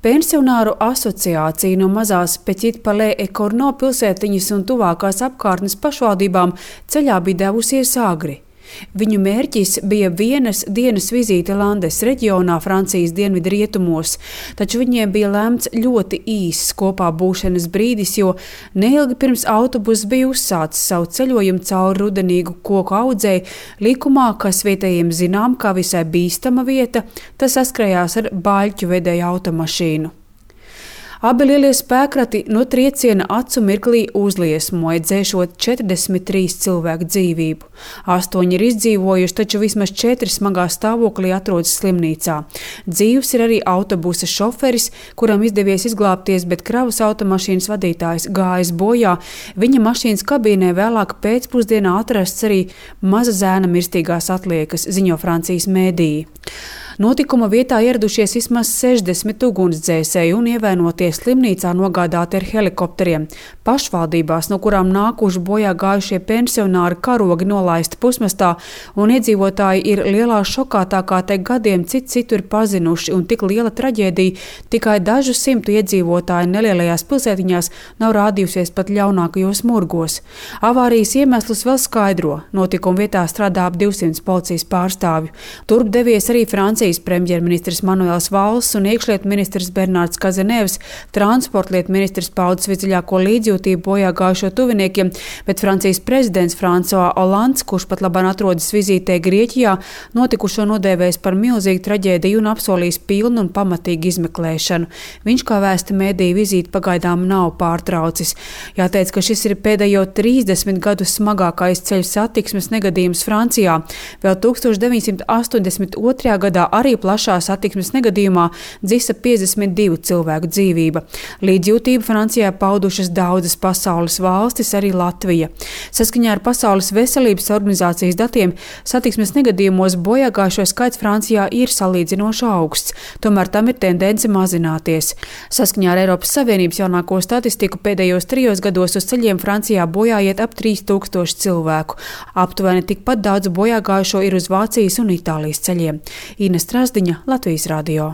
Pensionāru asociācija no mazās Petit-Palais-et-Cournot pilsētiņas un tuvākās apkārtnes pašvaldībām ceļā bija devusies agri. Viņu mērķis bija vienas dienas vizīte Landes reģionā, Francijas dienvidu rietumos, taču viņiem bija lemts ļoti īss kopā būšanas brīdis, jo neilgi pirms autobuss bija uzsācis savu ceļojumu cauri rudenīgu koku audzei likumā, kas vietējiem zinām kā visai bīstama vieta, tas saskrējās ar bāļķu vedēju automašīnu. Abi lielie spēkrati no trieciena acu mirklī uzliesmoja, dzēšot 43 cilvēku dzīvību. 8 ir izdzīvojuši, taču vismaz 4 smagā stāvoklī atrodas slimnīcā. Dzīvs ir arī autobusa šoferis, kuram izdevies izglābties, bet kravas automašīnas vadītājs gājis bojā. Viņa mašīnas kabīnē vēlāk pēcpusdienā atrasts arī maza zēna mirstīgās atliekas, ziņo Francijas mēdīji. Notikuma vietā ieradušies vismaz 60 ugunsdzēsēji un ievainoties slimnīcā nogādāti ar helikopteriem. Pašvaldībās, no kurām nākuši bojā gājušie pensionāri, karogi nolaisti pusmastā, un iedzīvotāji ir lielā šokā, tā kā te gadiem citu ir pazinuši, un tik liela traģēdija tikai dažu simtu iedzīvotāju nelielajās pilsētiņās nav rādījusies pat ļaunākajos murgos. Avārijas iemeslus vēl skaidro. Notikuma vietā strādā ap 200 policijas pārstāvju. Turp devies arī Francijas premjerministrs Manuels Valls un iekšlietu ministrs Bernārds Kazenevs, transportlietu ministrs paudis visdziļāko līdzjūtību bojā gājušo tuviniekiem, bet Francijas prezidents François Hollands, kurš pat labāk atrodas vizītē Grieķijā, notikušo nodēvējis par milzīgu traģēdiju un apsolījis pilnu un pamatīgu izmeklēšanu. Viņš, kā vēsta mēdīju, vizīti pagaidām nav pārtraucis. Jāteic, ka šis ir pēdējo 30 gadu smagākais ceļu satiksmes negadījums Francijā. Vēl 1982. gadā arī plašā satiksmes negadījumā dzisa 52 cilvēku dzīvība. Līdzjūtību Francijā paudušas daudzas pasaules valstis, arī Latvija. Saskaņā ar Pasaules veselības organizācijas datiem satiksmes negadījumos bojāgājušo skaits Francijā ir salīdzinoši augsts, tomēr tam ir tendence mazināties. Saskaņā ar Eiropas Savienības jaunāko statistiku pēdējos 3 gados uz ceļiem Francijā bojāiet ap 3000 cilvēku. Aptuveni tikpat daudz bojāgājušo ir uz Vācijas un Itālijas ceļiem. Ines Trasdiņa, Latvijas radio.